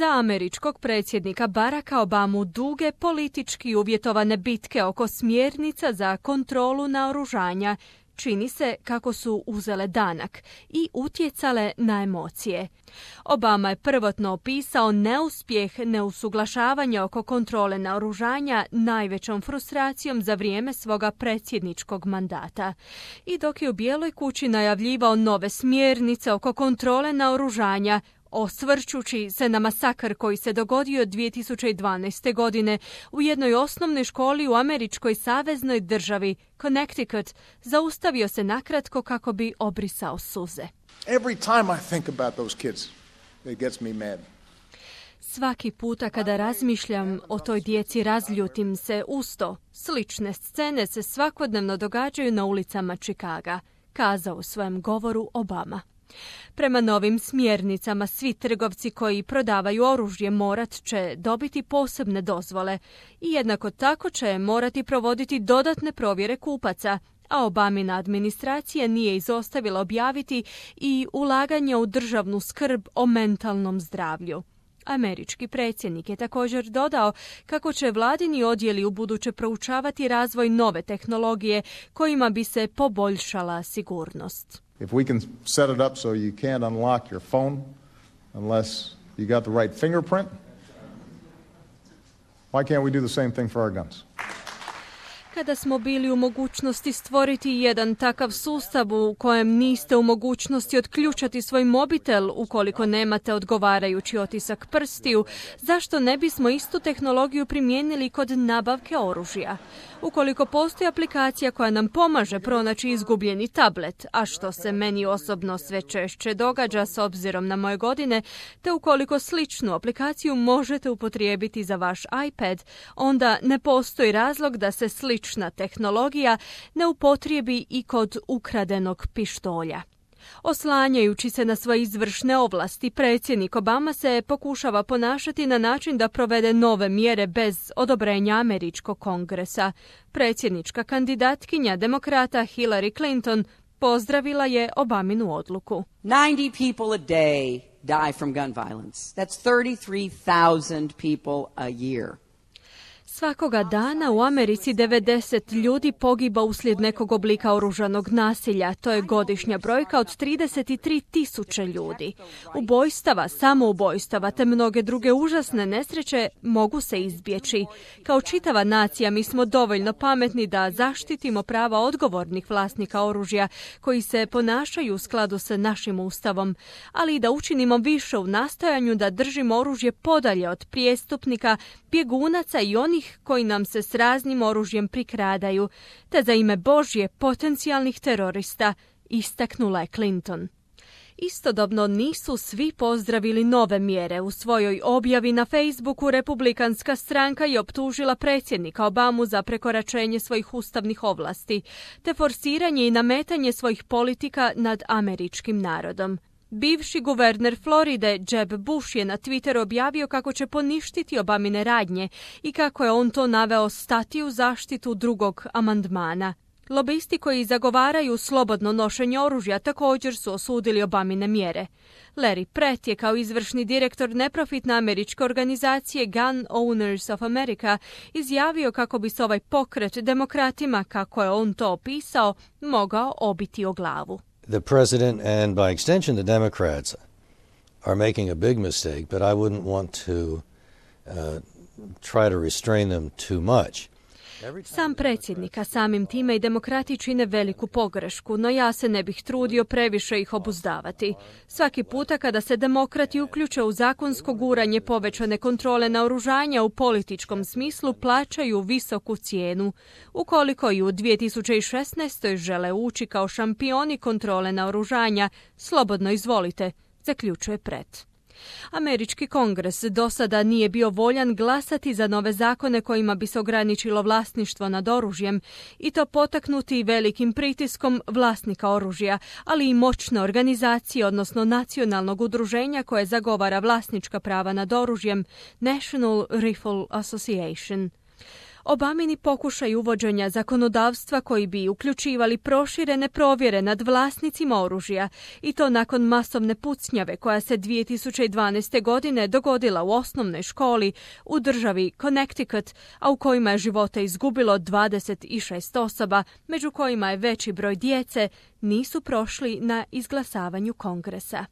Za američkog predsjednika Baracka Obamu duge politički uvjetovane bitke oko smjernica za kontrolu naoružanja čini se kako su uzele danak i utjecale na emocije. Obama je prvotno opisao neuspjeh neusuglašavanja oko kontrole naoružanja najvećom frustracijom za vrijeme svoga predsjedničkog mandata. I dok je u Bijeloj kući najavljivao nove smjernice oko kontrole naoružanja, osvrćući se na masakr koji se dogodio 2012. godine u jednoj osnovnoj školi u američkoj saveznoj državi Connecticut, zaustavio se nakratko kako bi obrisao suze. Every time I think about those kids, it gets me mad. Svaki puta kada razmišljam o toj djeci razljutim se usto. Slične scene se svakodnevno događaju na ulicama Chicaga, kazao u svojem govoru Obama. Prema novim smjernicama, svi trgovci koji prodavaju oružje morat će dobiti posebne dozvole i jednako tako će morati provoditi dodatne provjere kupaca, a Obamina administracija nije izostavila objaviti i ulaganje u državnu skrb o mentalnom zdravlju. Američki predsjednik je također dodao kako će vladini odjeli ubuduće proučavati razvoj nove tehnologije kojima bi se poboljšala sigurnost. If we can set it up so you can't unlock your phone unless you got the right fingerprint, why can't we do the same thing for our guns? Kada smo bili u mogućnosti stvoriti jedan takav sustav u kojem niste u mogućnosti otključati svoj mobitel ukoliko nemate odgovarajući otisak prstiju, zašto ne bismo istu tehnologiju primijenili kod nabavke oružja? Ukoliko postoji aplikacija koja nam pomaže pronaći izgubljeni tablet, a što se meni osobno sve češće događa s obzirom na moje godine, te ukoliko sličnu aplikaciju možete upotrijebiti za vaš iPad, onda ne postoji razlog da se slična tehnologija ne upotrijebi i kod ukradenog pištolja. Oslanjajući se na svoje izvršne ovlasti, predsjednik Obama se pokušava ponašati na način da provede nove mjere bez odobrenja američkog kongresa. Predsjednička kandidatkinja demokrata Hillary Clinton pozdravila je Obaminu odluku. 90 people a day die from gun violence. That's 33,000 people a year. Svakoga dana u Americi 90 ljudi pogiba uslijed nekog oblika oružanog nasilja. To je godišnja brojka od 33,000 ljudi. Ubojstava, samoubojstava te mnoge druge užasne nesreće mogu se izbjeći. Kao čitava nacija mi smo dovoljno pametni da zaštitimo prava odgovornih vlasnika oružja koji se ponašaju u skladu sa našim ustavom, ali i da učinimo više u nastojanju da držimo oružje podalje od prijestupnika, bjegunaca i onih koji nam se s raznim oružjem prikradaju, te za ime Božje potencijalnih terorista, istaknula je Clinton. Istodobno nisu svi pozdravili nove mjere. U svojoj objavi na Facebooku republikanska stranka je optužila predsjednika Obamu za prekoračenje svojih ustavnih ovlasti, te forsiranje i nametanje svojih politika nad američkim narodom. Bivši guverner Floride Jeb Bush je na Twitteru objavio kako će poništiti Obamine radnje i kako je on to naveo stati u zaštitu drugog amandmana. Lobisti koji zagovaraju slobodno nošenje oružja također su osudili Obamine mjere. Larry Pratt je kao izvršni direktor neprofitne američke organizacije Gun Owners of America izjavio kako bi se ovaj pokret demokratima, kako je on to opisao, mogao obiti o glavu. The president and by extension the Democrats are making a big mistake, but I wouldn't want to try to restrain them too much. Sam predsjednik, a samim time i demokrati čine veliku pogrešku, no ja se ne bih trudio previše ih obuzdavati. Svaki puta kada se demokrati uključe u zakonsko guranje povećane kontrole naoružanja u političkom smislu, plaćaju visoku cijenu. Ukoliko i u 2016. žele ući kao šampioni kontrole naoružanja, slobodno izvolite, zaključuje Pratt. Američki kongres do sada nije bio voljan glasati za nove zakone kojima bi se ograničilo vlasništvo nad oružjem i to potaknuti velikim pritiskom vlasnika oružja, ali i moćne organizacije, odnosno nacionalnog udruženja koje zagovara vlasnička prava nad oružjem, National Rifle Association. Obamini pokušaj uvođenja zakonodavstva koji bi uključivali proširene provjere nad vlasnicima oružja i to nakon masovne pucnjave koja se 2012. godine dogodila u osnovnoj školi u državi Connecticut, a u kojima je živote izgubilo 26 osoba, među kojima je veći broj djece, nisu prošli na izglasavanju Kongresa.